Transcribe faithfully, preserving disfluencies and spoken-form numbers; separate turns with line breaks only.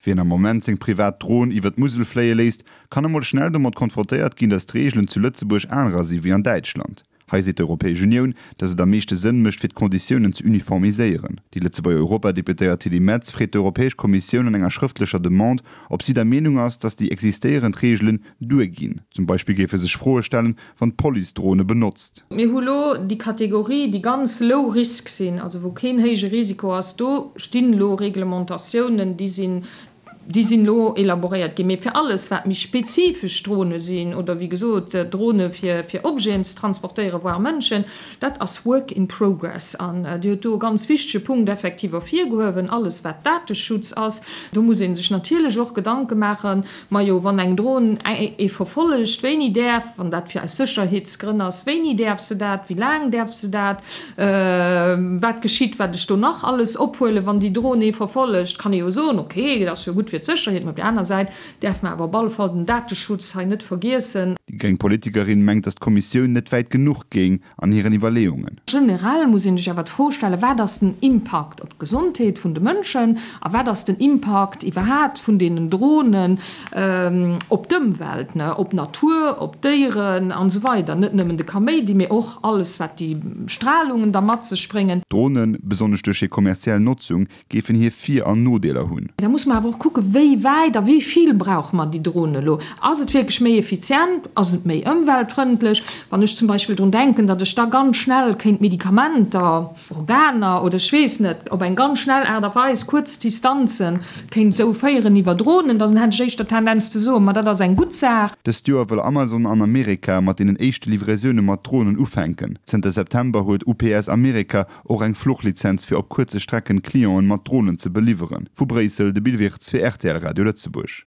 Wien am Moment seng privat Dron iwwer d'Musel fléie léisst, kann emol schnell domat konfrontéiert ginn, datt d'Reegelen zu Lëtzebuerg anerer si wéi an Däitschland. Hei seet d'Europäesch Unioun, datt et am meeschte Sënn mécht, fir d'Konditiounen ze uniformiséieren. Déi Lëtzebuerger Europadeputéiert Tilly Metz freet d'Europäesch Kommissioun an enger schrëftlecher Demande, ob si der Meenung ass, datt déi existéierend Reegelen duerginn. Zum Beispill géife sech Froe stellen, wann d'Police Drone benotzt.
Mir hu lo déi Kategorie, déi ganz low risk sinn, also wou keen héije Risiko ass, do stinn elo Reglementatiounen, déi sinn Déi sinn elo elaboréiert ginn. Mee fir alles, wat méi spezifesch Drone sinn oder, wéi gesot, Drone fir Objeten ze transportéieren, voire Mënschen, dat ass work in progress. An Dir hutt do e ganz wichtege Punkt effektiv ervirgehuewen, alles wat Dateschutz ass. Do muss ee sech natierlech och Gedanke maachen, majo, wann eng Dron ee verfollegt, wéini däerf, wann dat fir aus Sécherheetsgrënn ass, wéini däerf se dat, wéi laang däerf se dat, wat geschitt, wat ech do nach alles ophuelen, wann déi Dron ee verfollegt, kann ee jo soen, okay, dat ass jo gutt fir d'Sécherheet, mä op där aner Säit däerf mer awer op alle Fall den Dateschutz hei net vergiessen.
Déi gréng Politikerin mengt, datt d'Kommissioun net wäit genuch géing an hiren Iwwerleeungen.
Generell muss ee sech awer d'Fro stellen, Wat ass den Impakt op d'Gesondheet vun de Mënschen a wat ass den Impakt iwwerhaapt vun deenen Dronen op d'Ëmwelt, op d'Natur, op d'Déieren an esou weider? Net nëmmen de Kaméidi, mee och alles, wat déi Stralungen da mat sech bréngen.
D'Dronen, besonnesch duerch hir kommerziell Notzung, géifen hir Vir an Nodeeler hunn.
Da muss mer awer och kucken, wéi wäit a wéi vill brauche mer déi Dronen elo? Ass et wierklech méi effizient? Ass et méi ëmweltfrëndlech? Wann ech zum Beispill drun denken, datt ech da ganz schnell kéint Medikamenter, Organer oder ech weess net, op eng ganz schnell Aart a Weis, kuerz Distanzen, kéint esou féieren iwwer Dronen, dann hätt ech éischter d'Tendenz ze soen, ma dat ass eng gutt Saach.
Dëst Joer wëll Amazon an Amerika mat deenen éischte Livraisoune mat Dronen ufänken. Zënter September huet U P S Amerika och eng Fluchlizenz fir op kuerze Strecken Clienten mat Dronen ze beliwweren. Vu Bréissel de Bill Wirtz fir R T L Radio Lëtzebuerg.